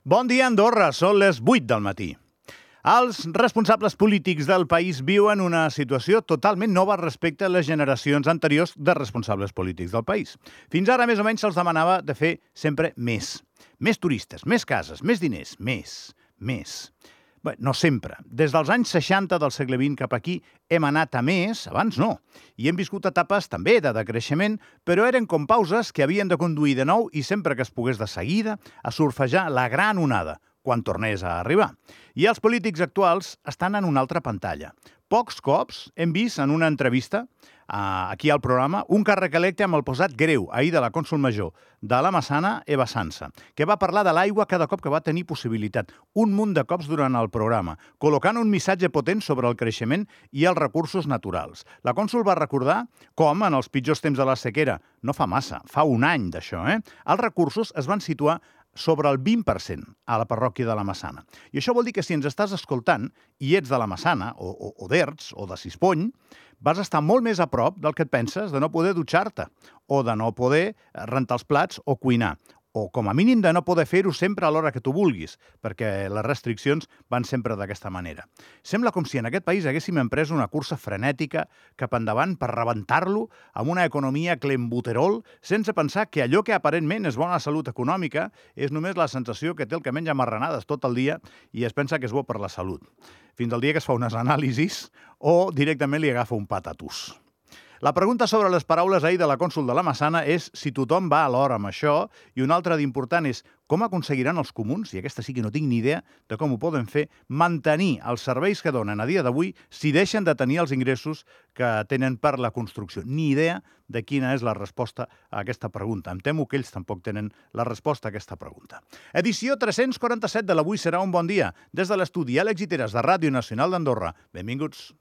Bon dia, Andorra. Són les 8 del matí. Els responsables polítics del país viuen una situació totalment nova respecte a les generacions anteriors de responsables polítics del país. Fins ara, més o menys, se'ls demanava de fer sempre més. Més turistes, més cases, més diners, més. Bé, no sempre. Des dels anys 60 del segle XX cap aquí hem anat a més, abans no. I hem viscut etapes també de decreixement, però eren com pauses que havien de conduir de nou i sempre que es pogués de seguida a surfejar la gran onada, quan tornés a arribar. I els polítics actuals estan en una altra pantalla. Pocs cops hem vist en una entrevista aquí al programa un càrrec electe amb el posat greu ahir de la cònsol major de la Massana, Eva Sansa, que va parlar de l'aigua cada cop que va tenir possibilitat, un munt de cops durant el programa, col·locant un missatge potent sobre el creixement i els recursos naturals. La cònsol va recordar com, en els pitjors temps de la sequera, no fa massa, fa un any d'això, els recursos es van situar sobre el 20% a la parròquia de la Massana. I això vol dir que si ens estàs escoltant i ets de la Massana, o d'Erts, o de Sispony, vas estar molt més a prop del que et penses de no poder dutxar-te, o de no poder rentar els plats o cuinar, o com a mínim de no poder fer-ho sempre a l'hora que tu vulguis, perquè les restriccions van sempre d'aquesta manera. Sembla com si en aquest país haguéssim emprès una cursa frenètica cap endavant per rebentar-lo amb una economia clembuterol, sense pensar que allò que aparentment és bona salut econòmica és només la sensació que té el que menja marranades tot el dia i es pensa que és bo per la salut. Fins al dia que es fa unes anàlisis o directament li agafa un patatús. La pregunta sobre les paraules ahir de la cònsol de la Massana és si tothom va a l'hora amb això i una altra d'important és com aconseguiran els comuns, i aquesta sí que no tinc ni idea de com ho poden fer, mantenir els serveis que donen a dia d'avui si deixen de tenir els ingressos que tenen per la construcció. Ni idea de quina és la resposta a aquesta pregunta. Em temo que ells tampoc tenen la resposta a aquesta pregunta. Edició 347 de l'Avui serà un bon dia. Des de l'estudi Àlex Iteres de Ràdio Nacional d'Andorra. Benvinguts.